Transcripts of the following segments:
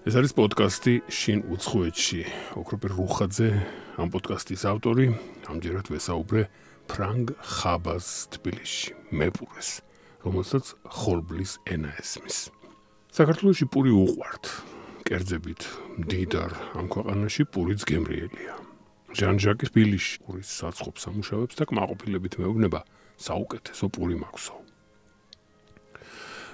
ეს არის პოდკასტი შინ უცხოეთში. ოქროპერ რუხაძე ამ პოდკასტის ავტორი, ამჯერად ვესაუბრე ფრანგ ხაბას თბილისში, მეპურეს, რომელსაც ხოლბლის ენა ესმის. საქართველოში პური უყვართ. კერძებით მდიდარ ამ ქვეყანაში პურიც გემრიელია. ჟან-ჟაკი თბილისში პურის საწყობს ამუშავებს და კმაყოფილებით მეუბნება საუკეთესო პური მაქვსო.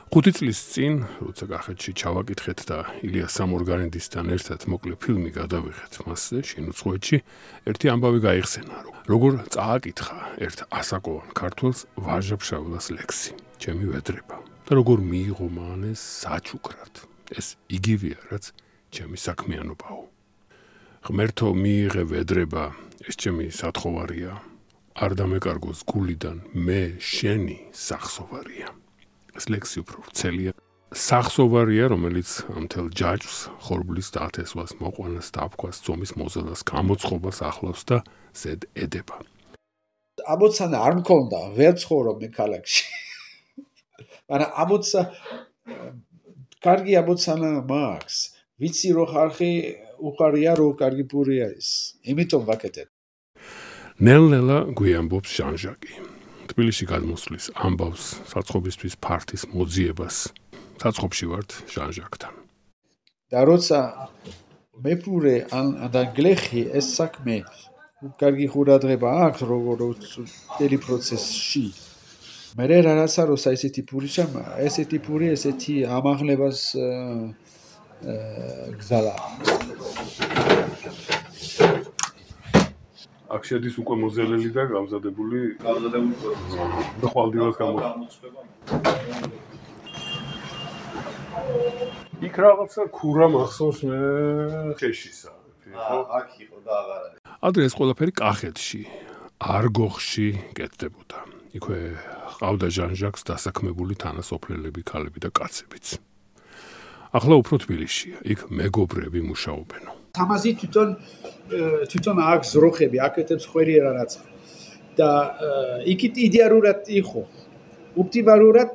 5 წლის წინ, როცა კახეთში ჩავაკითხეთ და ილია სამორგანიდისთან ერთად მოკლე ფილმი გადავიღეთ მასზე, შინ უცხოეთში, ერთი ამბავი გაიხსენა, როგორ წააკითხა ერთ ასაკოვან ქართველს ვაჟა-ფშაველას ლექსი, ჩემი ვედრება, და როგორ მიიღო მან ეს საჩუქრად. ეს იგივეა, რაც ჩემი საქმიანობაო. ღმერთო მიიღე ვედრება, ეს ჩემი სათხოვარია, არ დამეკარგოს გულიდან, მე შენი სახსოვარია. ეს ლექსი უფრო ვრცელია. სახსოვარია, რომელიც ამთელ ჯაჭვს, ხორბლის დათესვას, მოყვანას, დაფქვას, წომის მოზადას, გამოცხობას ახლავს და ზედ ედება. ამოცანა არ მქონდა, ვერ ცხოვრობ მე ქალაქში. მაგრამ ამოცა კარგი ამოცანა მაქვს. ვიცი რომ ხალხი უყარია რომ კარგი პური არის. იმიტომ ვაკეთებ. ნელ-ნელა გვიამბობს ჟან-ჟაკი. თბილისში გადმოსვლის ამბავს საწყობისთვის ფართის მოძიებას. საწყობში ვართ ჟან-ჟაკთან. და როცა მეპურე და გლეხი ეს საქმე კარგი ყურადღება აქვს როგორც მთელი პროცესში. მე რაღაცა როცა ესეთი პური ჩამა, ესეთი პური ესეთი ამაღლებას გზალა. აქ შედის უკვე მოზელელი და გამზადებული და ხვალდილას გამოცხება. იქ რაღაცა ქურა მახსოვს მე ხეშისა. აქ იყო და აღარ არის. ადრე ეს ყველაფერი კახეთში, არგოხში კეთდებოდა. იქვე ყავდა ჟან-ჟაკს დასაქმებული თანასოფლელები, ქალები და კაცებიც. ახლა უფრო თბილისშია, იქ მეგობრები მუშაობენო. თამაზი თვითონ აქვს როხები, აკეთებს ხვერი რაღაცა. და იქით იდეალურად იყო. ოპტიმალურად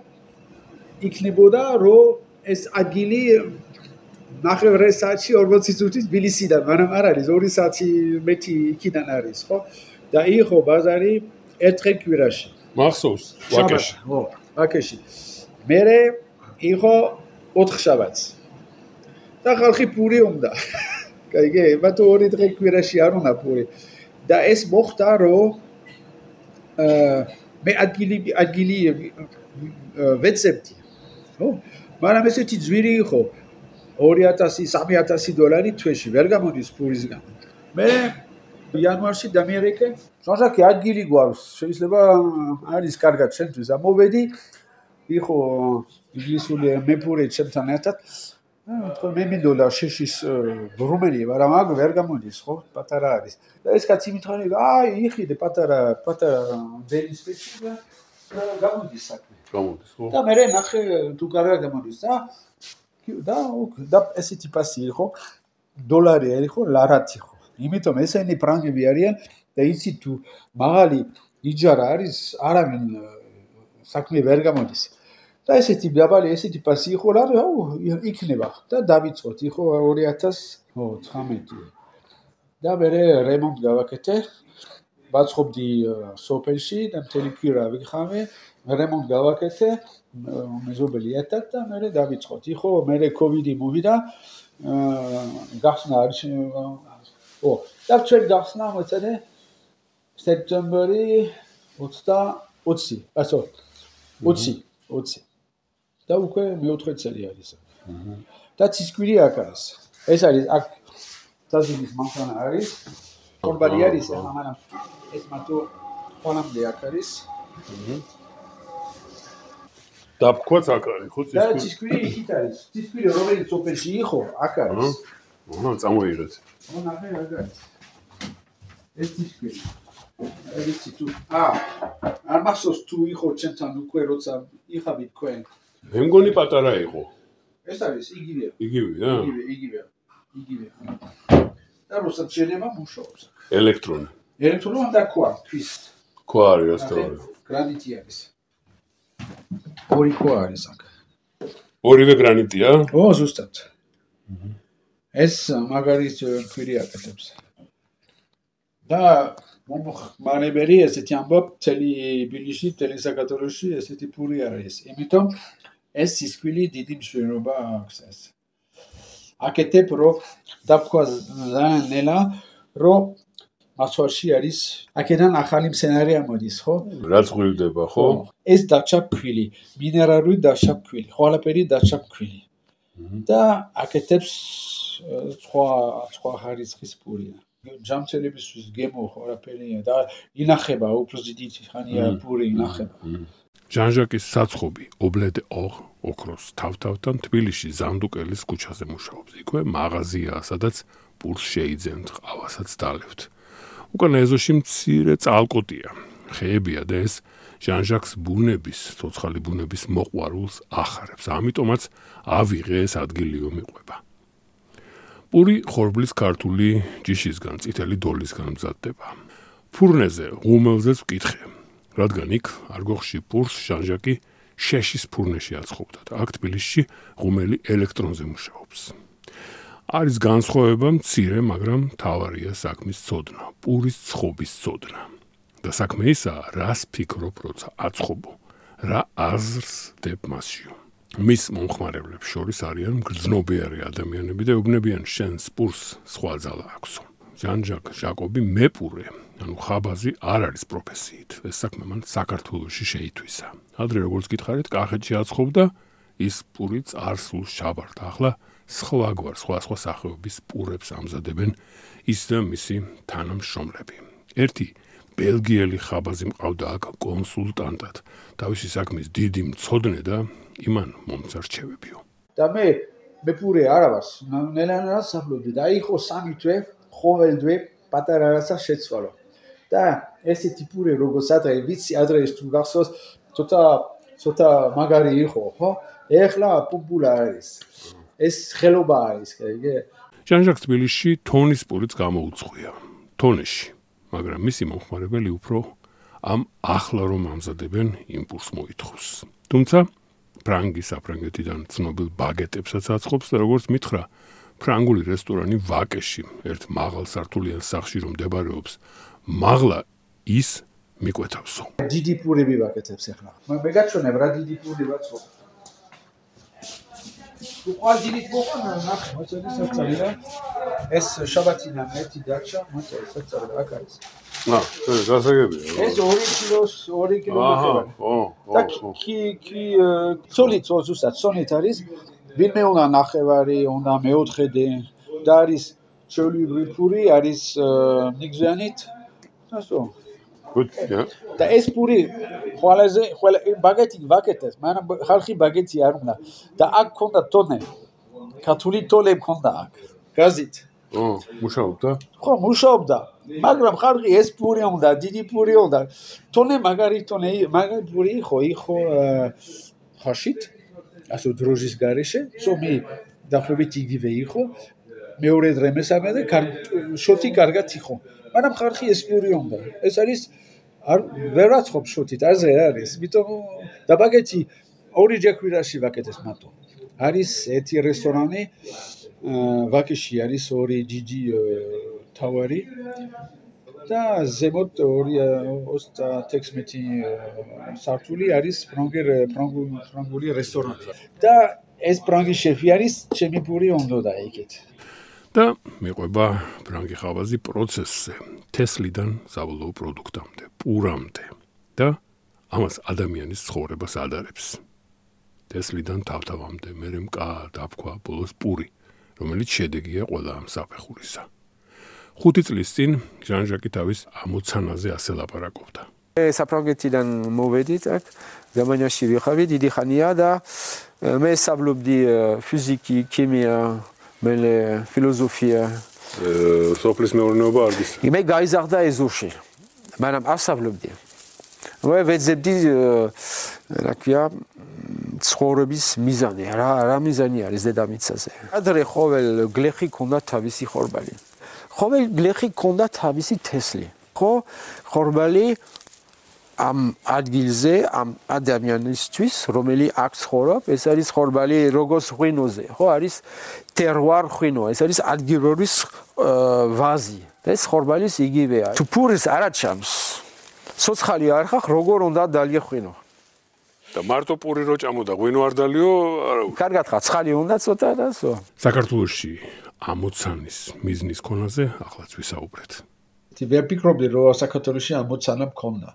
იქნებოდა, რომ ეს ადგილი 9 საათში 40 წუთის თბილისიდან, მაგრამ არ არის 2 საათი მეტი იქიდან არის, ხო? და იყო ბაზარი ერთხელ კვირაში. მახსოვს, ვაკეში. ხო, ვაკეში. მერე იყო 4 შაბათს. და ხალხი პური უნდა. კაიგე, მაგრამ 2 დღე კვირაში არ უნდა პური. და ეს მოხდა, რომ მე ადგილი ვეცებდი. ხო? მაგრამ ესეთი ძვირი იყო 2000-3000 დოლარი თვეში, ვერ გამოდის პურისგან. მე იანვარში დამიერეკე, ჟან-ჟაკი ადგილი გვაქვს, შეიძლება არის კარგად შენთვის. ამოვედი, იყო ინგლისური მეპური ჩემთან ერთად. მე მინდოდა შეშის რუმენია, მაგრამ აქ ვერ გამოდის, ხო? პატარა არის. და ეს კაცი მითხარი, იყიდე პატარა დენის პეჩი და გამოდის საქმე. გამოდის, ხო? და მე ნახე თუ კარგად გამოდის და ესეთი პასი იყო, დოლარი არ იყო, ლარათი იყო. იმიტომ ესენი ფრანგები არიან და იცი თუ მაღალი იჯარა არის, არავინ საქმე ვერ გამოდის. და ესეთი დაბალი ესეთი პასი იყო რა იქნება და დავიწყოთ იყო 2019 და მე რემონტ გავაკეთე ვაწყობდი სოფელში და მთელი კვირა ვიხავე რემონტ გავაკეთე მეზობელი ერთად და მე დავიწყოთ იყო მე კოვიდი მოვიდა გახსნა არის და ჩვენ გახსნა მოწედე სექტემბერი 20 და უკვე მე-4 წელი არის. და ცისკვირი აქ არის. ეს არის აქ დაზინის მანქანა არის. ხორბალი არის, მაგრამ ეს მარტო ყველამდე აქ არის. დაფქვაც აქ არის, ხო? და ცისკვირი იქით არის. ცისკვირი რომელიც სოფელში იყო, აქ არის. წამოიღეთ. ნახე აქ არის. ეს ცისკვირი. ვიცი თუ არ მახსოვს თუ იყო ჩემთან უკვე როცა იხავით თქვენ. მე მგონი პატარა იყო. ეს არის იგივე. იგივეა? იგივე. და როცა შეიძლება მუშაობს. ელექტრონი. ელექტრონი და ქვა, თვის. ქვა არის ასწავლე. გრანიტი არის. ორი ქვა არის აქ. ორივე გრანიტია? ო, ზუსტად. ეს მაგარის ქვირი აკეთებს. და მომხმარებელი ესეთი ამბობ მთელი ბილიში, მთელი საქართველოში ესეთი პური არ არის. იმიტომ ეს სისკვილი დიდი მნიშვნელობა აქვს ეს. აკეთებ რომ დაფქვა ძალიან ნელა რომ მასვარში არის აქედან ახალი მცენარე ამოდის, ხო? რაც ღვივდება, ხო? ეს დაჩა ფქვილი, მინერალური დაჩა ფქვილი, ყველაფერი დაჩა ფქვილი. და აკეთებს სხვა ხარისხის პურია. ჯამცელებისთვის გემო ყველაფერია და ინახება უფრო დიდი ხანია პური ინახება. ჟან-ჟაკის საცხობი ობლედ ოქროს თავთავთან თბილისში ზანდუკელის ქუჩაზე მუშაობს. იქვე მაღაზიაა, სადაც პურს შეიძენთ, ყავასაც დალევთ. უკან ეზოში მცირე წალკოტია, ხეებია და ეს ჟან-ჟაკს ბუნების, ცოცხალი ბუნების მოყვარულს ახარებს. ამიტომაც ავიღე ეს ადგილიო მიყვება. პური ხორბლის ქართული ჯიშისგან, წითელი დოლისგან მზადდება. ფურნეზე, ღუმელზეც ვკითხე, რადგან იქ არგოხში პურს ჟან-ჟაკი შეშის ფურნეში აცხობდა და აქ თბილისში ღუმელი ელექტრონზე მუშაობს. არის განსხვავება მცირე, მაგრამ მთავარია საქმის ცოდნა, პურის ცხობის ცოდნა. და საქმე ისაა, რას ფიქრობ, როცა აცხობო, რა აზრს დებ მასშიო. მის მომხმარებლებს შორის არიან მგრძნობიარე ადამიანები და ეუბნებიან შენს პურს სხვა ძალა აქვსო. ჟან-ჟაკ ჟაკობი მეპურე, ანუ ხაბაზი არ არის პროფესიით. ეს საქმე მან საქართველოში შეითვისა. ადრე როგორც გითხარით, კახეთში აცხობდა, ის პური წარსულს ჩაბარდა. ახლა სხვაგვარ სხვა სახეობის პურებს ამზადებენ ის და მისი თანამშრომლები. ერთი ბელგიელი ხაბაზი მყავდა აქ კონსულტანტად. თავისი საქმის დიდი მცოდნე და იმან მომწარჩევებიო. და მე პური არავას ნელანას საფლობდი და იყო 3 თვე ყოველდღე პატარა რაცა შეცვალო. და ესეთი პური როგორც ადრე ვიცი ადრე თუ გახსოვს ცოტა მაგარი იყო, ხო? ეხლა პუპულა არის. ეს ხელობა არის, იგი. ჟან-ჟაკ თბილისში თონის პურიც გამოუწყვია. თონეში, მაგრამ მისი მომხმარებელი უფრო ამ ახლა რომ ამზადებენ იმპულს მოითხოვს. თუმცა ფრანგის საფრანგეთიდან ცნობილ ბაგეტებსაც აცხობს და როგორც მითხრა, ფრანგული რესტორანი ვაკეში, ერთ მაღალ სართულიან სახლში რომ მდებარეობს, მაღლა ის მიკვეთავსო. დიდი პურები ვაკეთებს ახლა. მე გაჩვენებ რა დიდი პური ვაცხობ. უყალ დიდი მოყანა ნახე, მოწოდი საწალი რა. ეს შაბათიდან ერთი დარჩა, მოწოდი საწალი აქ არის. ეს გასაგებია. ეს 2 კილო. და კი ცოლით ზუსტად ცოლით არის. ვინმე უნდა ნახევარი, უნდა მეოთხედე და არის ჩვეულებრივი პური, არის ნიგზიანით. ასო. და ეს პური ყველა ბაგეტი ვაკეთეს, მაგრამ ხალხი ბაგეტი არ უნდა. და აქ ქონდა ტონე. ქართული ტოლე ქონდა აქ. გაზით. მუშაობდა? ხო, მუშაობდა. მაგრამ ხალხი ეს პური უნდა, დიდი პური უნდა. ტონე მაგარი პური იყო ხაშით. ასო დროჟის გარეშე, სომი დაახლოებით იგივე იყო. მეორე დღე მესამე და შოთი კარგად იყო. მაგრამ ხალხი ეს პური უნდა. ეს არის ვერ აცხობ შოთით, აზე არის. იმიტომ და ბაგეტი 2 ჯეკვირაში ვაკეთეს მარტო. არის ერთი რესტორანი ვაკეში არის 2 დიდი თავარი და ზემოთ 26 სართული არის ფრანგული რესტორანი. და ეს ფრანგი შეფი არის, ჩემი პური უნდა იქით. და მიყვება ფრანგი ხავაზი პროცესზე, თესლიდან საბოლოო პროდუქტამდე, პურამდე და ამას ადამიანის ცხოვრებას ადარებს. თესლიდან თავთავამდე, მერე მკა, დაფქვა, ბოლოს პური, რომელიც შედეგია ყველა ამ საფეხურისა. 5 წლის წინ ჟან-ჟაკი თავის ამოცანაზე ასე ლაპარაკობდა. საფრანგეთიდან მოვედით აქ, გერმანიაში ვიხავი დიდი ხანია და მე სწავლობდი ფიზიკი, ქიმია, მელე ფილოსოფია. სოფლის მეურნეობა არ გის. მე გაიზარდა ეზოში, მაგრამ არ სწავლობდი. მე ვეძებდი რა ქვია ცხოვრების მიზანი, რა მიზანი არის დედამიწაზე. ადრე ყოველ გლეხი ქონდა თავისი ხორბალი. ყოველ გლეხი ქონდა თავისი თესლი. ხო, ხორბალი ამ ადგილზე, ამ ადამიანისთვის, რომელი აქ ცხოვრობს, ეს არის ხორბალი როგორც ღვინოზე, ხო, არის terroir ღვინო, ეს არის ადგილობის ვაზი. ეს ხორბალის იგივეა. თუ პურის არ აჩამს, ცოცხალი არ ხარ, როგორ უნდა დალიე ღვინო? და მარტო პური რო ჭამოდა, ღვინო არ დალიო, არა. კარგად ხარ, ცხალი უნდა ცოტა დასო. საქართველოში ამოცანის მიზნის ქონაზე ახლაც ვისაუბრეთ. ვერ ფიქრობდი რომ საქართველოში ამოცანა მქონდა.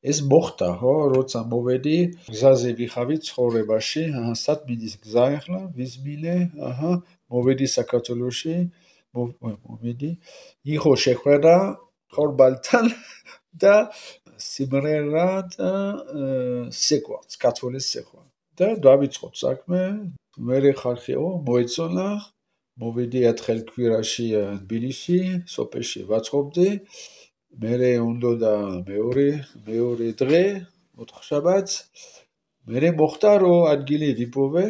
ეს მოხდა, ხო, როცა მოვედი გზაზე ვიხავი ცხოვრებაში, სად მიდის გზა ახლა, ვიზმილე, მოვედი საქართველოში, მოვედი, იყო შეხვედრა ხორბალთან და სიმრერა და სეკვა, კათოლის სეკვა. და დავიწყოთ საქმე, მერე ხალხიო მოეწონა, მოვედი ერთხელ კვირაში თბილისში, სოფელში ვაწყობდი. მერე უნდა და მეორე დღე, ოთხშაბათს, მერე მოხდა რომ ადგილი ვიპოვე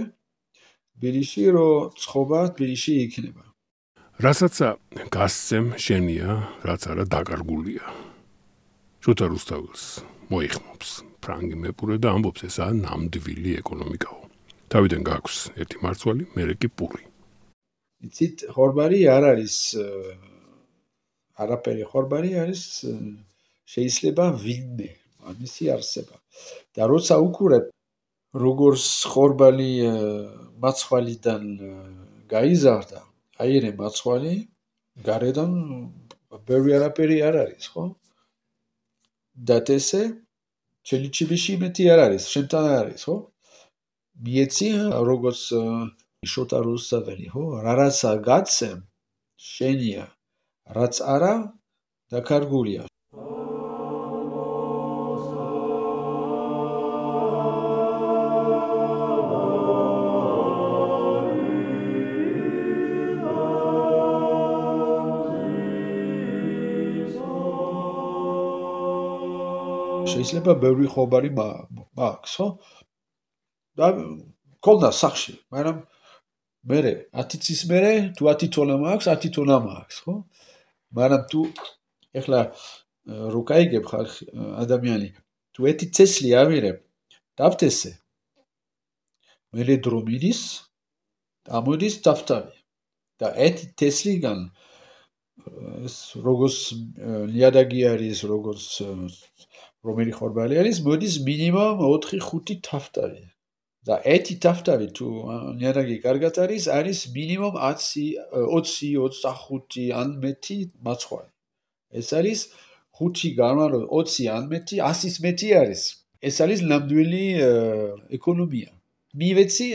თბილისში, რომ ცხოვრება თბილისში იქნება. რასაც გასცემ შენია, რაც არა დაკარგულია. შოთა რუსთაველს მოიხმობს ფრანგი მეპურე და ამბობს ესაა ნამდვილი ეკონომიკაო. თავიდან გაქვს ერთი მარცვალი, მერე კი პური. იცით, ხორბალი არ არის არაფერი ხორბალი არის შეიძლება ვინმე ამისი არსება. და როცა უყურებ როგორც ხორბალი მაცვალიდან გაიზარდა, აირე მაცვალი გარედან ბევრი არაფერი არ არის, ხო? და ესე ჩელიჩიბიში მეტი არ არის, შემთან არ არის, ხო? მიეცი როგორც შოთა რუსთაველი, ხო? რაცა გაცემ შენია, რაც არა დაკარგულია. შეიძლება ბევრი ხობარი მაქვს, ხო? და ქონდა სახში, მაგრამ მერე 10 წლის მერე თუ 10 თონა მაქვს, 10 თონა მაქვს, ხო? მაგრამ თუ ეხლა რო გაიგებ ხალხი ადამიანი, თუ 1 წელი ავირებ, დავთესე. მერე დრო მიდის, ამოდის დავთავი. და 1 წელიდან ეს როგორც ლიადაგი არის, როგორც რომელი ხორბალი არის, მოდის მინიმუმ 4-5 თავთავი. და 1 თავთავი თუ ლიადაგი კარგად არის მინიმუმ 20-25 ან მეტი მაცხვარი. ეს არის 5 გამარო 20 ან მეტი 100-ის მეტი არის. ეს არის ნამდვილი ეკონომია. მივეცი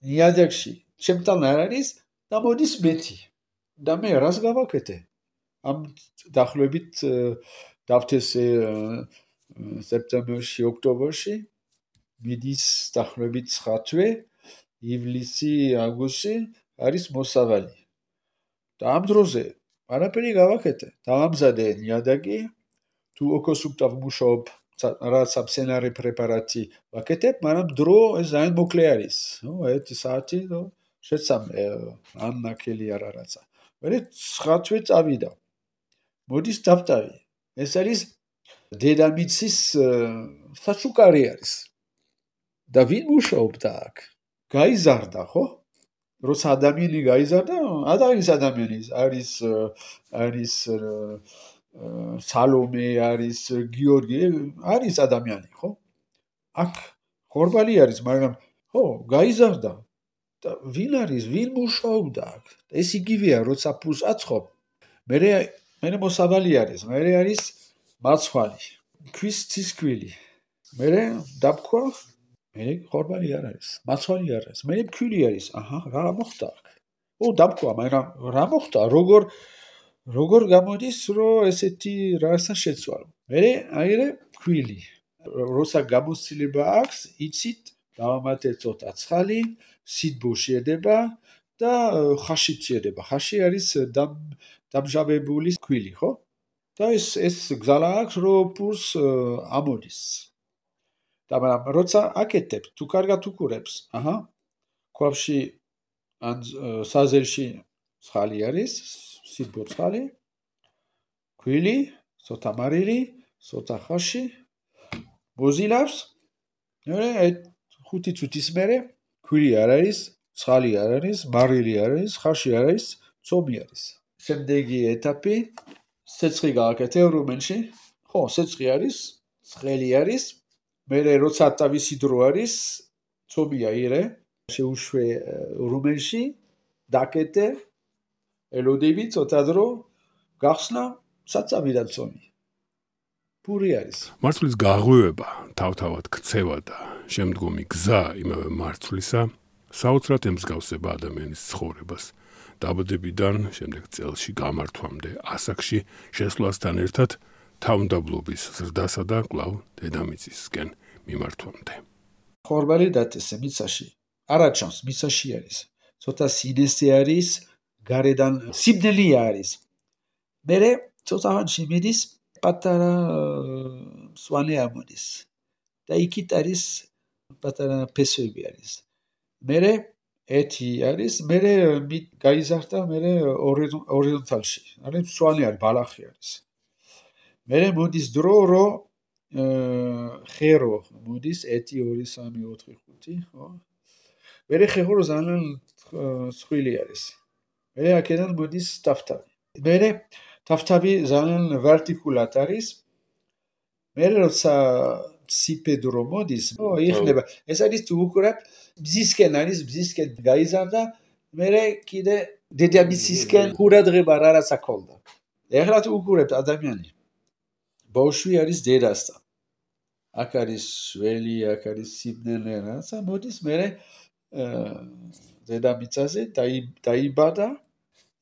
ლიადაგში, ჩემთან არ არის და მოდის მეტი. და მე რას გავაკეთე? ამ დახლებით დავთესე სექტემბერში, ოქტომბერში მიდის დახლებით 9 თვე, ივლისი, აგვისტო არის მოსავალი. და ამ დროზე არაფერი გავაკეთე. დავამზადე ლიადაგი, თუ ოქოსუპტავ მუშაობ, რაც აბსენარი პრეპარატი ვაკეთებ, მაგრამ დრო ეს ძალიან მოკლე არის. 1 საათი შეცამე ან ნაკელი არა რაცა. მერე 9 თვე წავიდა. მოდის დავტავი. ეს არის დედამიწის საჩუქარი არის. და ვინ მუშაობდა აქ? გაიზარდა, ხო? როცა ადამიანი გაიზარდა, ადამიანი არის სალომე, არის გიორგი, არის ადამიანი, ხო? აქ ხორბალი არის, მაგრამ ხო, გაიზარდა. და ვინ არის? ვინ მუშაობდა აქ? ეს იგივეა, როცა პულს აწყობ. მერე მოსავალი არის, მერე არის მაცხვალი, ქვის ცისქვილი. მერე დაბქვა, მერე ხორბალი არ არის, მაცხვალი არ არის, მერე ფქვილი არის. რა მოხდა აქ? დაბქვა, მაგრამ რა მოხდა? როგორ გამოდის, რომ ესეთი რაღაცა შეცვალო? მერე აირე ფქვილი. როცა გამოცდილება აქვს, იცით, დავამატე ცოტა ცხალი, სიდბო შედება და ხაში შედება. ხაში არის დამჟავებული ფქვილი, ხო? და ეს გზალა აქვს, რომ პურს ამოდის. და მაგრამ როცა აკეთებ, თუ კარგად უყურებს, ქვაბში ან საზელში ცხალი არის, სიდბო ცხალი, ფქვილი, ცოტა მარილი, ცოტა ხაში მოზილავს, მე 5 წუთის მერე ქვილი არ არის, ცხალი არ არის, მარილი არ არის, ხარში არ არის, ცომი არის. შემდეგი ეტაპი სეცხი გააკეთე რუმინში. ხო, სეცხი არის, ცხელი არის. მე როცა თავისი დრო არის, ცომი აირე, შეუშვე რუმინში, დაკეთე, ელოდები ცოტა დრო, გახსნა, საწამიდან ცომი. პური არის. მარცვლის გაღვივება, თავთავად ქცევა და შემდგომი გზა იმავე მარცვლისა საოცრად ემსგავსება ადამიანის ცხოვრებას. დაბადებიდან შემდეგ წელში გამართვამდე ასაკში შესვლასთან ერთად თავმდაბლობის ზრდასა და კვლავ დედამიწისკენ მიმართვამდე. ხორბალი დათესე მიცაში. არაჩანს მიცაში არის. ცოტა სინესი არის, გარედან სიბნელი არის. მერე ცოტაანში მიდის პატარა სვანი ამოდის. და იქით არის პატარა ფესვები არის. მერე ეთი არის, მერე გაიზარდა, მერე ორიენტალში. არის სვანი არის, ბალახი არის. მერე მოდის დრო, რო ხერო მოდის 1 2 3 4 5, ხო? მერე ხერო ძალიან სხვილი არის. მერე აქედან მოდის ტაფტავი. მერე ტაფტავი ძალიან ვერტიკულად არის. მერე როცა სიპედრო მოდის, იხნება. ეს არის თუ უყურებ, ბზისკენ არის, ბზისკენ გაიზარდა, მერე კიდე დედამიწისკენ ყურადღება რაღაც აქოლდა. ეხლა თუ უყურებ ადამიანი. ბავშვი არის დედასთან. აქ არის შველი, აქ არის სიბნელე, რაღაცა მოდის, მერე დედამიწაზე დაიბადა.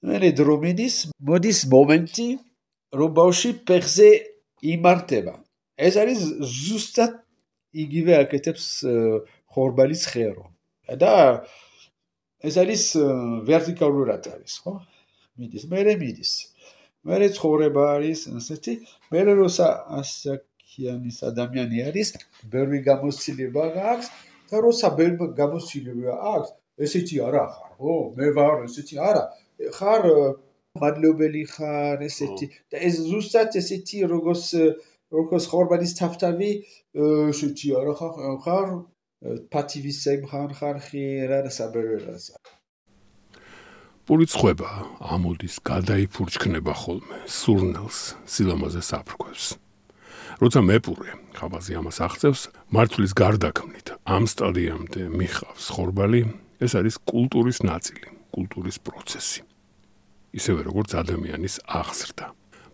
მერე დრო მიდის, მოდის მომენტი, რომ ბავშვი ფეხზე იმართება. ეს არის ზუსტად იგივე აკეთებს ხორბალის ხერო. და ეს არის ვერტიკალურად არის, ხო? მიდის, მერე მიდის. მერე ცხოვრება არის, ასეთი, მერე როცა ასაკიანის ადამიანი არის, ბევრი გამოცდილება აქვს და როცა ბევრი გამოცდილება აქვს, ესეთი არა ხარ, ხო? მე ვარ ესეთი არა. ხარ მადლობელი ხარ ესეთი და ეს ზუსტად ესეთი როგორც ხორბალის თავთავი ესეთი არა ხარ პატივისცემ ხარ რა საბერერასა. პური წხვება ამოდის, გადაიფურჩქნება ხოლმე, სურნელს, სილამაზეს აფრქვევს. როცა მეპურე ხაბაზი ამას აღწევს, მარცვლის გარდაქმნით ამ სტადიამდე მიხავს ხორბალი, ეს არის კულტურის ნაწილი, კულტურის პროცესი. ისევე როგორც ადამიანის აღზრდა.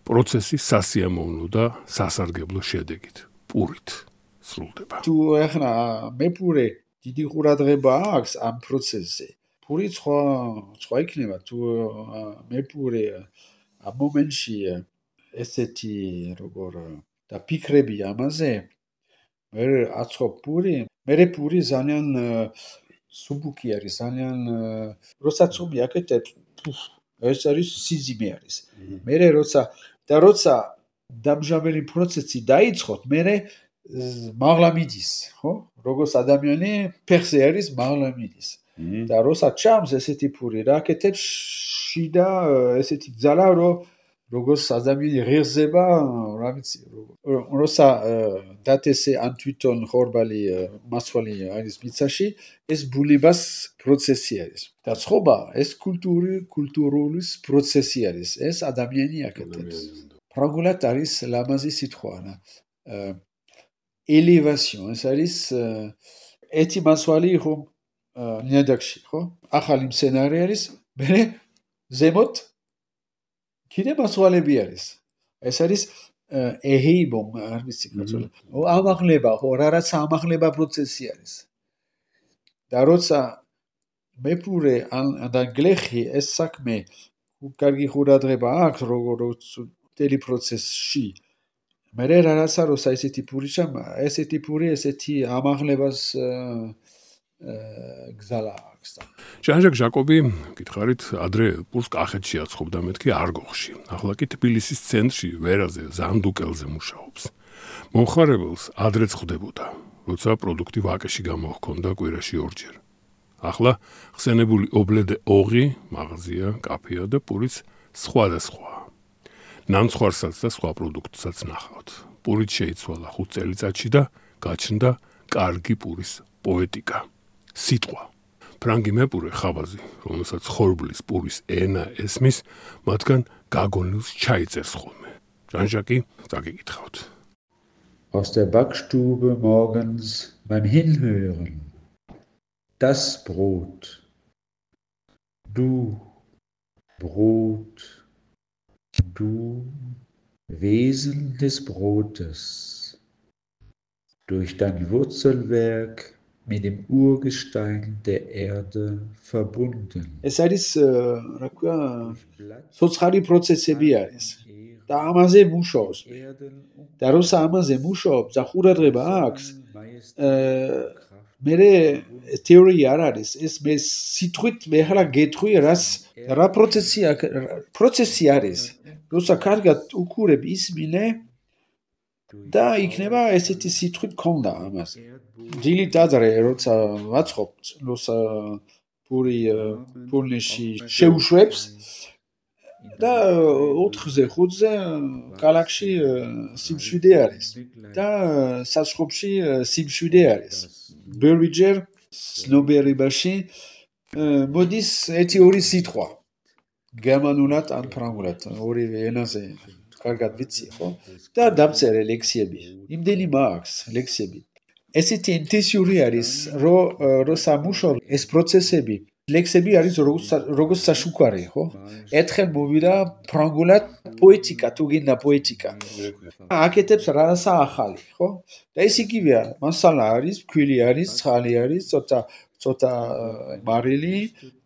პროცესი სასიამოვნო და სასარგებლო შედეგით, პურით სრულდება. თუ ახლა მეპურე დიდი ყურადღება აქვს ამ პროცესზე. პური სხვა იქნება, თუ მეპურე ამ მომენტში ესეთი როგორ და ფიქრები ამაზე, მე აწყობ პური, მე პური ძალიან სუბუქი არის, ძალიან როცა ცომი აკეთებ, ეს არის სიზიმე არის. მე როცა დამჟაველი პროცესი დაიწყოთ, მე მაღლა მიდის, ხო? როგორც ადამიანი ფეხზე არის, მაღლა მიდის. და როცა ჩამს ესეთი პური რა აკეთებს შიდა ესეთი ძალა, როგორც ადამიანი ღირსება, რა ვიცი, როცა დათესე ან თვითონ ხორბალი მასვალი არის მიცაში, ეს ბულებას პროცესი არის. და ცხობა ეს კულტურული პროცესი არის. ეს ადამიანი აკეთებს. ფრანგულად არის ლამაზი სიტყვა. ელევაციონ, ეს არის ეთი მასვალი ხო ნიადაგში, ხო? ახალი მცენარე არის, მე ზემოთ კიდე მასვალები არის. ეს არის ეჰეიბომ, არ ვიცი კაცოლა. ამაღლება, ხო, რაღაცა ამაღლება პროცესი არის. და როცა მეპურე და გლეხი ეს საქმე კარგი ყურადღება აქვს როგორც მთელი პროცესში. მე რაღაცა როცა ესეთი პური ჩამა, ესეთი პური ესეთი ამაღლებას გზალა აქვს. ჟან-ჟაკ ჟაკობი, გითხარით, ადრე პურს კახეთში აცხობდა, მეთქი არგოხში. ახლა კი თბილისის ცენტრში, ვერაზე, ზანდუკელზე მუშაობს. მომხმარებელს ადრე ხვდებოდა, როცა პროდუქტი ვაკეში გამოჰქონდა კვირაში 2 ჯერ. ახლა ხსენებული ობლედე ოღი, მაღაზია, კაფეა და პურიც სხვადასხვა. ნამცხვარსაც და სხვა პროდუქტსაც ნახავთ. პურით შეიცვალა 5 წელიწადში და გაჩნდა კარგი პურის პოეტიკა, სიტყვა. ფრანგი მეპურე ხავაზი, რომელსაც ხორბლის პურის ენა ესმის, მათგან გაგონილს ჩაიწერს ხოლმე. ჟან-ჟაკი წაგიკითხავთ. Aus der Backstube morgens beim Hinhören. Das Brot. Du, Brot, du, Wesen des Brotes. Durch dein Wurzelwerk mit dem Urgestein der Erde verbunden. Es არის, რა ქვია, სოცხარი პროცესები არის. და ამაზე მუშაობს. და როცა ამაზე მუშაობს, და ყურადღება აქვს, მე თეორია არ არის. ეს მე სიტყვით მე ახლა გეტყვი, რა პროცესი არის. როცა კარგად უყურებ ისმინე და იქნება ესეთი სიტყვით ქონდა ამაზე. დილით ადრე როცა ვაწყობთ, როცა პურნეში შეუშვებს და 4-ზე 5-ზე კალაკში სიმშვიდე არის და საცხობში სიმშვიდე არის. ბევრჯერ ცნობიერებაში მოდის ერთი-ორი სიტყვა გერმანულად ან ფრანგულად, ორივე ენაზე კარგად ვიცი, ხო? და დავწერე ლექსიები. იმდენი მაქვს ლექსიები. ესეთი ინტენსიური არის, რომ სამუშაო ეს პროცესები ლექსები არის როგორც საშუქარი, ხო? ერთხელ მოვიდა ფრანგულად პოეტიკა, თუ გინდა პოეტიკა. აკეთებს რაღაცა ახალი, ხო? და ეს იგივეა, მასალა არის, ფქვილი არის, ცხალი არის, ცოტა მარილი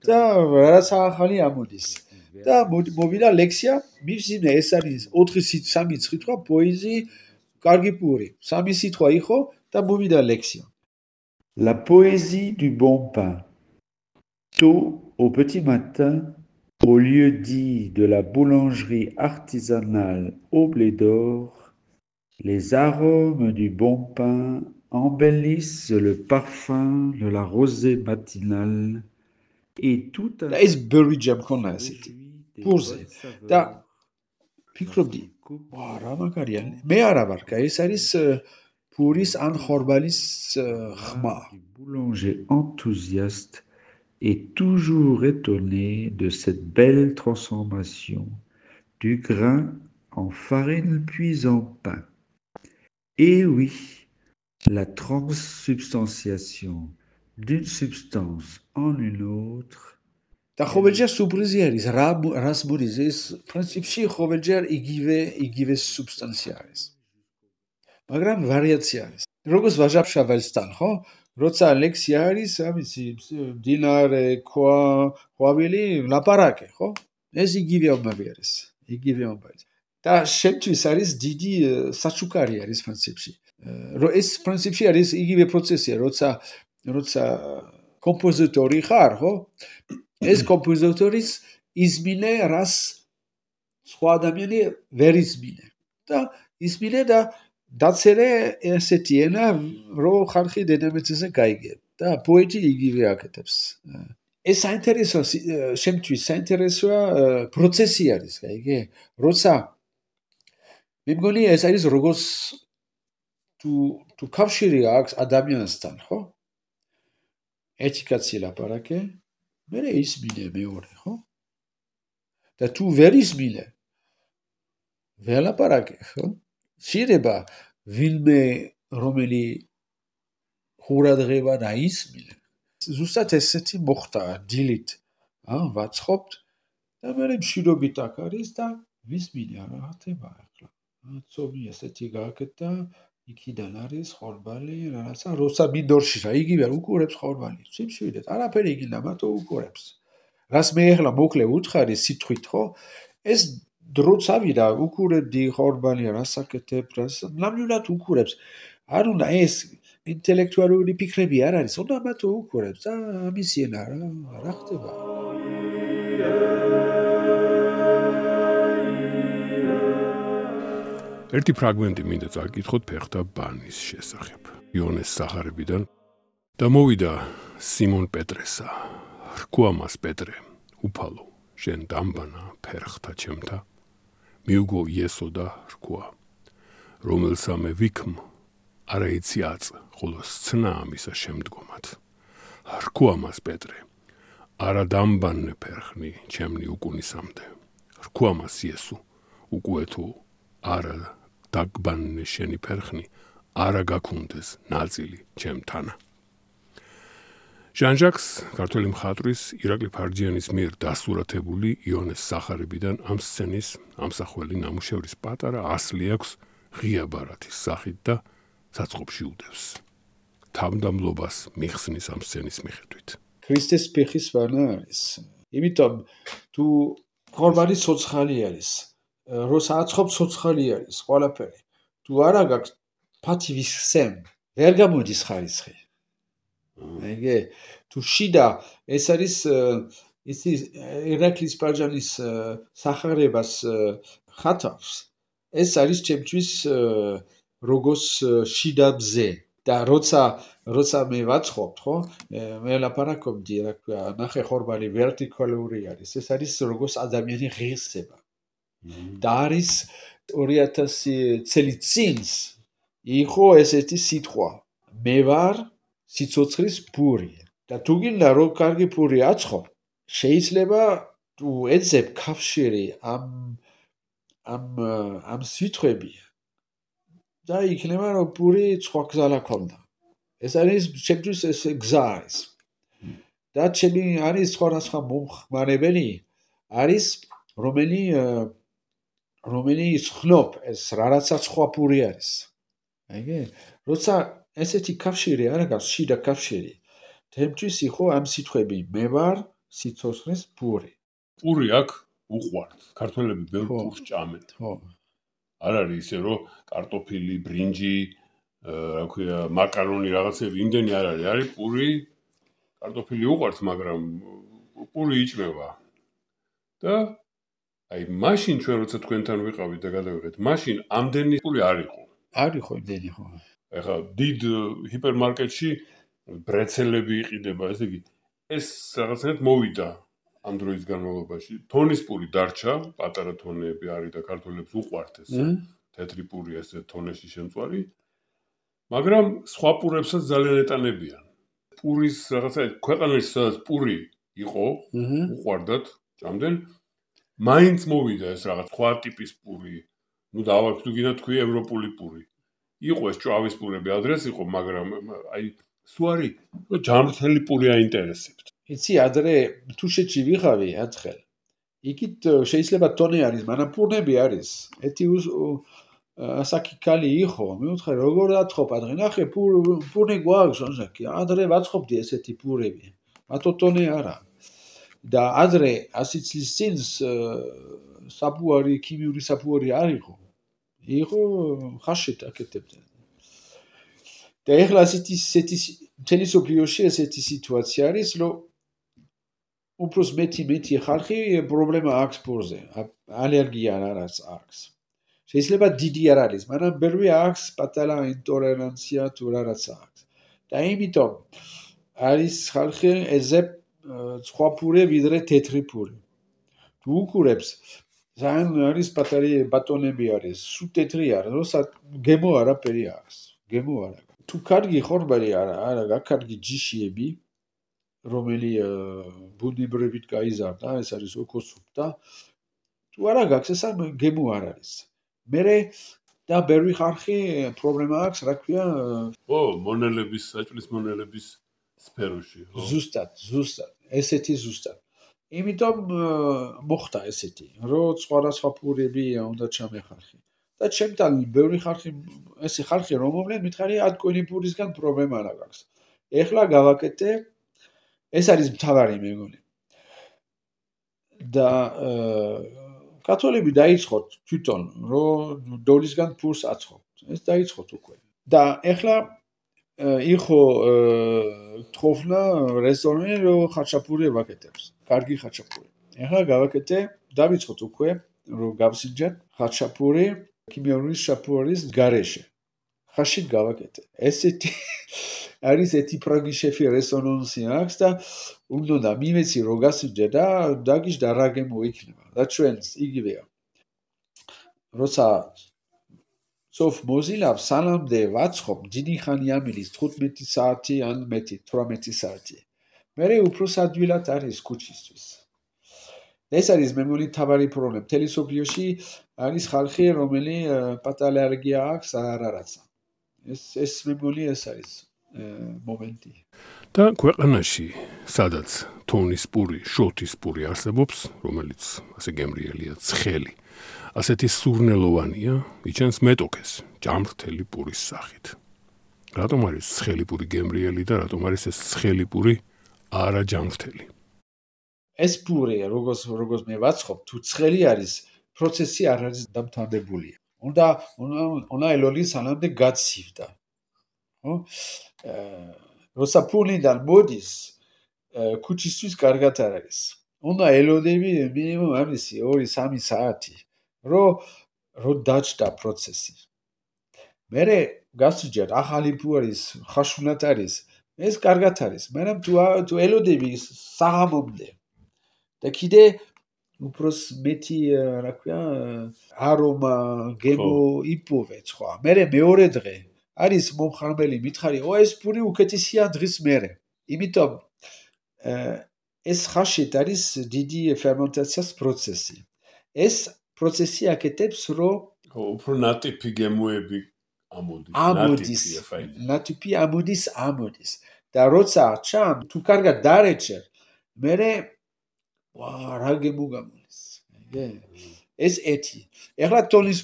და რაღაცა ახალი ამოდის. და მოვიდა ლექსია, მივსინე ეს არის 4-3 სიტყვა, პოეზი, კარგი პური. 3 სიტყვა იყო და მოვიდა ლექსია. La poésie du bon pain. Tôt au petit matin, au lieu dit de la boulangerie artisanale au blé d'or, les arômes du bon pain embellissent le parfum de la rosée matinale et tout un... ეს ბევრი ჯამქონა ესეთი. პურზე. და ფიქრობდი, რა მაგარია. მე არა ვარ, ეს არის პურის ან ხორბალის ხმა. Boulanger enthousiaste est toujours étonné de cette belle transformation du grain en farine puis en pain. Et oui, la transsubstantiation d'une substance en une autre. და ყოველჯერ სურპრიზი არის, რას მოდის ეს პრინციპში ყოველჯერ იგივე სუბსტანცია არის. მაგრამ ვარიაცია არის. როგორც ვაჟა-ფშაველსთან, ხო? როცა ლექსია არის, ამისი დინარე, ყვავილი, ლაპარაკი, ხო? ეს იგივე ამბავი არის. და შემთთვის არის დიდი საჩუქარი არის პრინციპში. ეს პრინციპში არის იგივე პროცესია, როცა კომპოზიტორი ხარ, ხო? ეს კომპოზიტორის ისმინე რას სხვა ადამიანი ვერ ისმინე. და ისმინე და დაწერე ესეთი ენა, რომ ხალხი დედამიწაზე გაიგებ. და პოეტი იგივე აკეთებს. ეს საინტერესო შემთთვის საინტერესოა პროცესი არის, გაიგე? როცა მე მგონი ეს არის როგორც თუ კავშირი აქვს ადამიანსთან, ხო? ერთი კაცი ლაპარაკე, მე ისმინე მეორე, ხო? და თუ ვერ ისმინე, ვერ ლაპარაკე, ხო? შეიძლება ვინმე რომელი ყურადღება დაისმინე. ზუსტად ესეთი მოხდა დილით. ვაწყობთ და მე მშვიდობით აქ არის და ვისმინე რა ხდება ახლა. ცობი ესეთი გააკეთა, იქიდან არის ხორბალი, რაღაცა როცა მინდორში რა, იგივე უყურებს ხორბალი. სიმშვიდეთ, არაფერი იქიდან მარტო უყურებს. რას მე ახლა მოკლე უთხარი სიტყვით, ხო? ეს დროც ავიდა, უყურებდი ხორბალი, რას აკეთებ, რას ნამდვილად უყურებს. არ უნდა ეს ინტელექტუალური ფიქრები არ არის, უნდა მარტო უყურებს და ამისი ენა რა ხდება. ერთი ფრაგმენტი მინდა წაკითხოთ ფეხთა ბანის შესახებ. იონეს სახარებიდან და მოვიდა სიმონ პეტრესა. რქვა მას პეტრე, უფალო, შენ დამბანა ფერხთა ჩემთა. მიუგო იესო და რქვა, რომელსა მე ვიქმ, არა იცი აწ, ხოლო სცნა ამისა შემდგომად. რქვა მას პეტრე, არა დამბანნე ფერხნი, ჩემნი უკუნისამდე. რქვა მას იესო, უკვე თუ არა დაგბანნე შენი ფერხნი, არა გაქუნდეს ნაწილი ჩემთანა. ჟან-ჟაკს, ქართველი მხატვრის ირაკლი ფარჯიანის მიერ დასურათებული იონეს სახარებიდან ამ სცენის ამსახველი ნამუშევრის პატარა ასლი აქვს ღია ბარათის სახით და საწყობში უდევს. თავდამლობას მიხსნის ამ სცენის მიხედვით. ქრისტეს ფეხის ვანა არის. იმიტომ თუ ხორბალი ცოცხალი არის, როცა აცხობ ცოცხალი არის ყველაფერი. თუ არა გაქვს ფათივის სემ, ვერ გამოდის ხარისხი. აიგე, თუ შიდა ეს არის ისი ირაკლის პარჯანის სახარებას ხატავს, ეს არის ჩემთვის როგორც შიდა ბზე. და როცა მე ვაცხობთ, ხო? მე ლაპარაკობდი, რა ქვია, ნახე ხორბალი ვერტიკალური არის. ეს არის როგორც ადამიანი ღირსება. და არის 2000 წელი წინ იყო ესეთი სიტყვა. მე ვარ სიცოცხლის პური. და თუ გინდა რომ კარგი პური აცხო, შეიძლება თუ ეძებ კავშირი ამ სიტყვები და იქნება რომ პური სხვა გზალა ქონდა. ეს არის ჩემთვის ეს გზა არის. და ჩემი არის სხვადასხვა მომხმარებელი არის რომელიც ხნობ ეს რაღაცა სხვა პური არის. აიგე? როცა ესეთი კავშირი არა გაქვს, შიდა კავშირი. ჩემთვის იყო ამ სიტყვები მე ვარ სიცოცხლის პური. პური აქ უყვართ. ქართველები ბევრ პურს ჭამენ. ხო. არ არის ისე რომ კარტოფილი, ბრინჯი, რა ქვია, მაკარონი რაღაცები იმდენი არ არის. არის პური, კარტოფილი უყვართ, მაგრამ პური იჭმება. და აი მაშინ ჩვენ როცა თქვენთან ვიყავით და გადავიღეთ, მაშინ ამდენი პური არ იყო. არ იყო იმდენი ხო. ეხლა დიდ ჰიპერმარკეტში ბრეცელები იყიდება, ესე იგი ეს რაღაცნაირად მოვიდა ამ დროის განმავლობაში. თონის პური დარჩა, პატარა თონები არის და ქართველებს უყვართ ეს. თეთრი პური ესე თონეში შემწვარი. მაგრამ სხვა პურებსაც ძალიან ეტანებიან. პურის რაღაცა ქვეყანაში სადაც პური იყო, უყვარდათ, ჭამდნენ. მაინც მოვიდა ეს რაღაც სხვა ტიპის პური. ნუ დავარქ თუ გინდა თქვი ევროპული პური. იყო ეს ჭავის პურები ადრეს იყო, მაგრამ აი სუარი ჯამრთელი პური აინტერესებთ. იცი ადრე თუშეთში ვიღავი ათხელ. იქით შეიძლება ტონი არის, მაგრამ პურნები არის. ეთი ასაკი იყო, მე ვთქვი როგორ აცხობ ადრე, ნახე პურნი გვაქვს, ჟანჟაკი. ადრე ვაცხობდი ესეთი პურები. მათო ტონი არა. და ადრე 100 წლის წინ საფუარი, ქიმიური საფუარი არ იყო. იყო ხაშეთ აკეთებდნენ. და ეხლა ესეთი მთელი სოფლიოში ესეთი სიტუაცია არის, რომ უბრალოდ მეტი ხალხი პრობლემა აქვს პურზე, ალერგია რაღაც აქვს. შეიძლება დიდი არ არის, მაგრამ ბევრი აქვს პატარა ინტოლერანცია თუ რაღაც აქვს. და იმიტომ არის ხალხი ეძებ სხვა პური ვიდრე თეთრი პური. თუ უყურებს ძალიან არის პატარი ბატონები არის, სულ თეთრი არის, როცა გემო არაფერი აქვს. გემო არა. თუ კარგი ხორბალი არა, კარგი ჯიშიები, რომელი ბუნებრივით გაიზარდა, ეს არის ოკოსუპტა. თუ არა გაქვს, ეს გემო არ არის. მერე და ბევრი ხალხი პრობლემა აქვს, რა ქვია, მონელების, საჭმლის მონელების სფეროში, ხო? ზუსტად, ესეთი ზუსტად. იმიტომ მოხდა ესეთი, რომ სხვადასხვა პურები უნდა ჩამეხარხი. და ჩემთან ბევრი ხალხი, ესე ხალხი რომელმე მითხარი ატკვენი პურისგან პრობლემა არ აქვს. ეხლა გავაკეთე, ეს არის მთავარი მე მგონი. და კათოლიკები დაიწყოთ თვითონ, რომ დოლისგან პურს აცხობთ. ეს დაიწყოთ უკვე. და ეხლა იყო თხოვნა რესტორანი, რომ ხაჩაპური ვაკეთებს. კარგი ხაჩაპური. ეხლა გავაკეთე, დავიწყოთ უკვე, რომ გავსინჯეთ ხაჩაპური ქიმიური შაპურის გარეშე. ხაში გავაკეთე. ესეთი არის ეთი პროგი შეფი რესონანსი აქვს და უნდა მივეცი რომ გასინჯე და დაგიჟდა რა გემო იქნება. და ჩვენს იგივეა. როცა სოფ მოზილავს სანამდე ვაცხობ დიდი ხანი ამილის 15 საათი ან მეტი 18 საათი. მერე უფრო ადვილად არის ქუჩისთვის. ეს არის მე მგონი თავარი პრობლემა. მთელი სოფლიოში არის ხალხი, რომელი პატარა ალერგია აქვს არარაცა. ეს მე მგონი ეს არის მომენტი. და ქვეყანაში, სადაც თოვნის პური, შოთის პური არსებობს, რომელიც ასე გემრიელია, ცხელი, ასეთი სურნელოვანია, იჩენს მეტოქეს, ჯამრთელი პურის სახით. რატომ არის ცხელი პური გემრიელი და რატომ არის ეს ცხელი პური არა ჯამრთელი? ეს პური, როგორც მე ვაცხობ, თუ ცხელი არის, პროცესი არ არის დამთავრებული. უნდა ელოლი სანამდე გაცივდა. ხო? როცა პურიდან მოდის, ქუჩისთვის კარგად არ არის. უნდა ელოდები მინიმუმ ამისი 2-3 საათი, რომ დაჭდა პროცესი. მერე გასუჯერ ახალი პუ არის, ხაშუნად არის, ეს კარგად არის. მაგრამ თუ ელოდები საღამომდე და კიდე უბრალოდ მეტი რა ქვია არომა გემო იპოვეთ ხო. მერე მეორე დღე არის მომხმარებელი მითხარი, ეს პური უკეთესია დღის მერე. იმიტომ ეს ხაშეთ არის დიდი ფერმენტაციის პროცესი. ეს პროცესი აკეთებს, რომ უფრო ნატიფი გემოები ამოდის. ნატიფი ამოდის. და როცა ჩამ, თუ კარგად დარეჩე, მერე რა გემო გამოდის. ეს ეთი. ეხლა თოვნის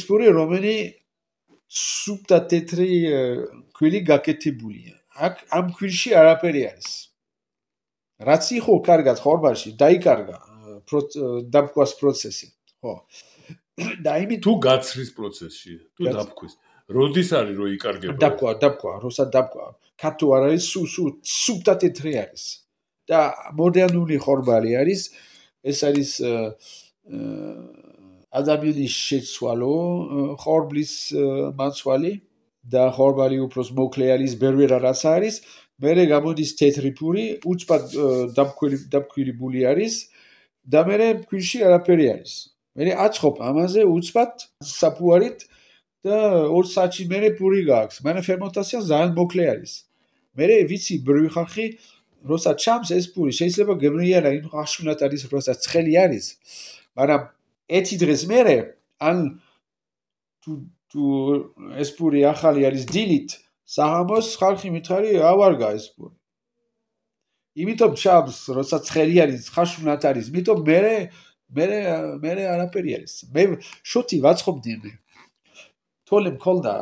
პური, რომელიც სუფთა თეთრი ქვილი გაკეთებულია. აქ ამ ქვილში არაფერი არის. რაც იყო კარგად ხორბალში, დაიკარგა დაბქვის პროცესი. ხო. და იმით თუ გაცრის პროცესში, თუ დაბქვის. როდის არის რომ იკარგება? დაბქვა, როცა დაბქვა. ქათუ არ არის, სუფთა თეთრი არის. და მოდერნული ხორბალი არის, ეს არის ადამიანის შეცვალო ხორბლის მაცვალი და ხორბალი უფრო მოკლე არის, ბევრი რაღაც არის. მერე გამოდის თეთრი პური, უცბად დაბქვილი არის და მერე ქვილში არაფერი არის. მერე აცხობ ამაზე უცბად საფუარით და 2 საათში მერე პური გააქვს. მაგრამ ფერმენტაცია ძალიან მოკლე არის. მერე ვიცი ბევრი ხალხი როცა ჩამს ეს პური შეიძლება გემრიელა იმ ხაშუნად არის, როცა ცხელი არის. მაგრამ ეთი დღეს მერე ან თუ ეს პური ახალი არის დილით, საღამოს ხალხი მითხარი ავარგა ეს პური. იმიტომ ჩამს, როცა ცხელი არის, ხაშუნად არის, იმიტომ მერე არაფერი არის. მე შოთი ვაცხობდი. თოლე მქონდა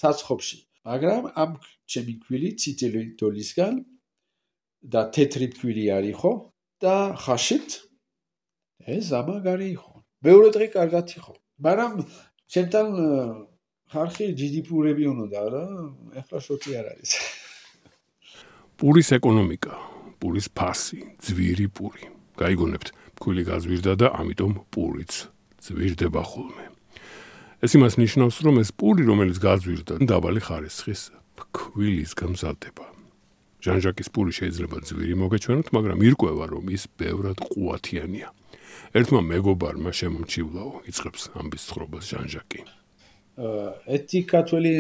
საცხობში, მაგრამ ამ ჩემი ქვილი ციტელი თოლისგან და თეთრი ქვილი არის ხო და ხაშით ეს ამაგარი იყო. მეორე დღე კარგად იყო. მაგრამ ჩემთან ხალხი დიდი პურები უნდა რა, ეხლა შოთი არ არის. პურის ეკონომიკა, პურის ფასი, ძვირი პური. გაიგონებთ, ფქვილი გაზვირდა და ამიტომ პურიც ძვირდება ხოლმე. ეს იმას ნიშნავს, რომ ეს პური, რომელიც გაზვირდა, დაბალი ხარისხის ფქვილის გამზადდება. ჟან-ჟაკის პური შეიძლება ძვირი მოგეჩვენოთ, მაგრამ ირკვევა, რომ ის ბევრად ყუათიანია. ერთმა მეგობარმა შემომჩივლაო, იწყებს ამბის ცხოვრებას ჟან-ჟაკი. ეთი ქართველი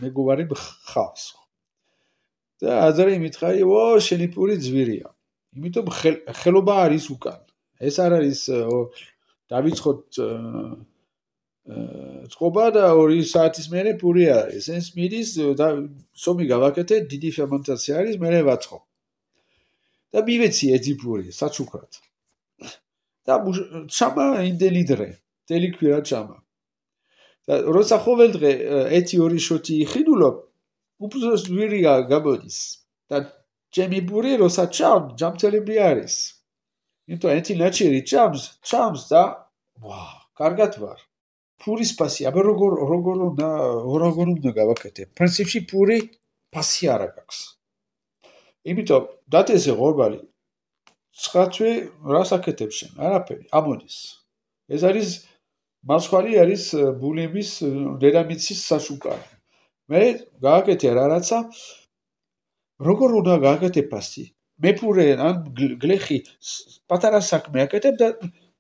მეგობარი ხავს. და აზარი მითხარი, შენი პური ძვირია. იმიტომ ხელობა არის უკან. ეს არ არის დავიწყოთ წყობა და 2 საათის მერე პური არის. ეს მიდის და სომი გავაკეთე, დიდი ფერმენტაცია არის, მერე ვაწყობ. და მივეცი ეთი პური საჩუქრად. და ჩამა იმდენი დღე, მთელი კვირა ჩამა. და როცა ყოველ დღე 1-2 შოთი იხიდულობ, უბრალოდ ძვირი გამოდის. და ჩემი პური როცა ჯამთელები არის. იმიტომ ეთი ნაჩერი ჩამს და კარგად ვარ. პურის ფასი, აბა როგორ უნდა გავაკეთე? პრინციპში პური ფასი არ აქვს. იმიტომ დათესე ხორბალი 9 თვე რას აკეთებს შენ? არაფერი, ამოდის. ეს არის მასხვალი არის ბულემის დედამიწის საშუქარი. მე გააკეთე რაღაცა როგორ უნდა გააკეთე ფასი? მე პური ან გლეხი პატარა საქმე აკეთებ და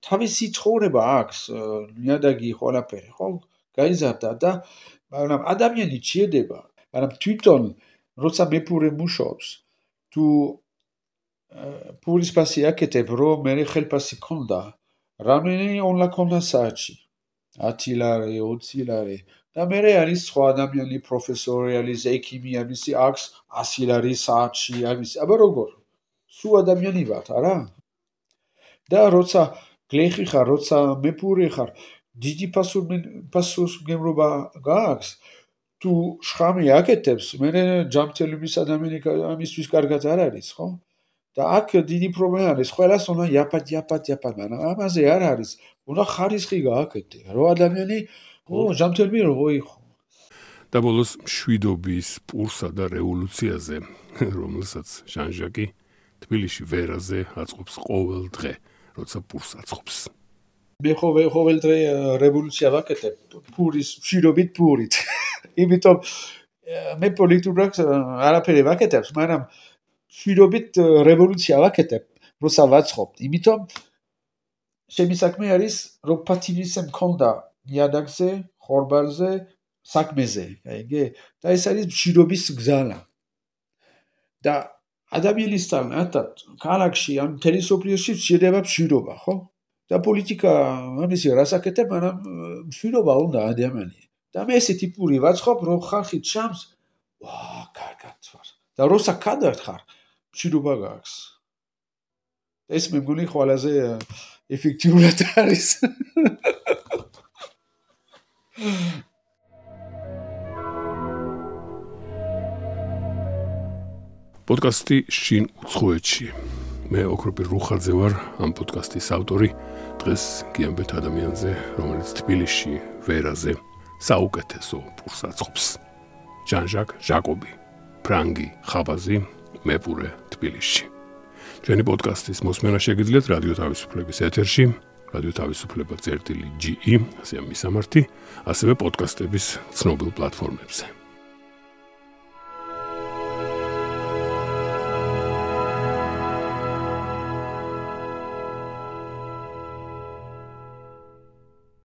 თავისი ცხოვრება აქვს, ნიადაგი ყველაფერი, ხო? გაიზარდა და მაგრამ ადამიანი ჭირდება, მაგრამ თვითონ როცა მეფური მუშაობს, თუ ფულის ფასი აკეთებ, რომ მე ხელფასი ქონდა, რამდენი ონლა ქონდა საათში? 10 ლარი, 20 ლარი. და მე არის სხვა ადამიანი პროფესორი, არის ექიმი, არის აქვს 100 ლარი საათში, არის, აბა როგორ? სულ ადამიანი ვართ, არა? და როცა გლეხი ხარ, როცა მეფური ხარ, დიდი პასუხისმგებლობა გააქვს, თუ შხამი აკეთებს, მე ჯანმრთელობის ადამიანი ამისთვის კარგად არ არის, ხო? და აქ დიდი პრობლემა არის, ყველას უნდა იაფად, მაგრამ ამაზე არ არის, უნდა ხარისხი გააკეთე, რომ ადამიანი ჯანმრთელები რო იყო. და ბოლოს მშვიდობის პურსა და რევოლუციაზე, რომელსაც ჟან-ჟაკი თბილისში ვერაზე აწყობს ყოველ დღე, როცა პურს აწყობს. მე ყოველ დღე რევოლუცია ვაკეთებ, პურის მშვიდობით პურით. იმიტომ მე პოლიტიკურად არაფერი ვაკეთებ, მაგრამ მშვიდობით რევოლუცია ვაკეთებ, როცა ვაწყობ. იმიტომ ჩემი საქმე არის, რომ პატივისცემა მქონდა ნიადაგზე, ხორბალზე, საქმეზე, აიგე? და ეს არის მშვიდობის გზანა. და ადამიანისთან ერთად ქალაქში ან თელესოფლიოში შეიძლება მშვიდობა, ხო? და პოლიტიკა ამისი რას აკეთებ, მაგრამ მშვიდობა უნდა ადამიანი. და მე ესეთი პური ვაწყობ, რომ ხალხი ჩამს, კარგად ვარ. და როცა კადრად ხარ, მშვიდობა გაქვს. ეს მე მგონი ყველაზე ეფექტიურად არის. პოდკასტი შინ უცხოეთში. მე ოქროპირ რუხაძე ვარ, ამ პოდკასტის ავტორი. დღეს გიამბეთ ადამიანზე, რომელიც თბილისში ვერაზე საუკეთესო პურს აწყობს. ჟან-ჟაკ ჟაკობი, ფრანგი ხაბაზი, მეპურე თბილისში. ჩვენი პოდკასტის მოსმენა შეგიძლიათ რადიო თავისუფლების ეთერში, რადიო თავისუფლება წერტილი GE, ასე მისამართი, ასევე პოდკასტების ცნობილ პლატფორმებზე.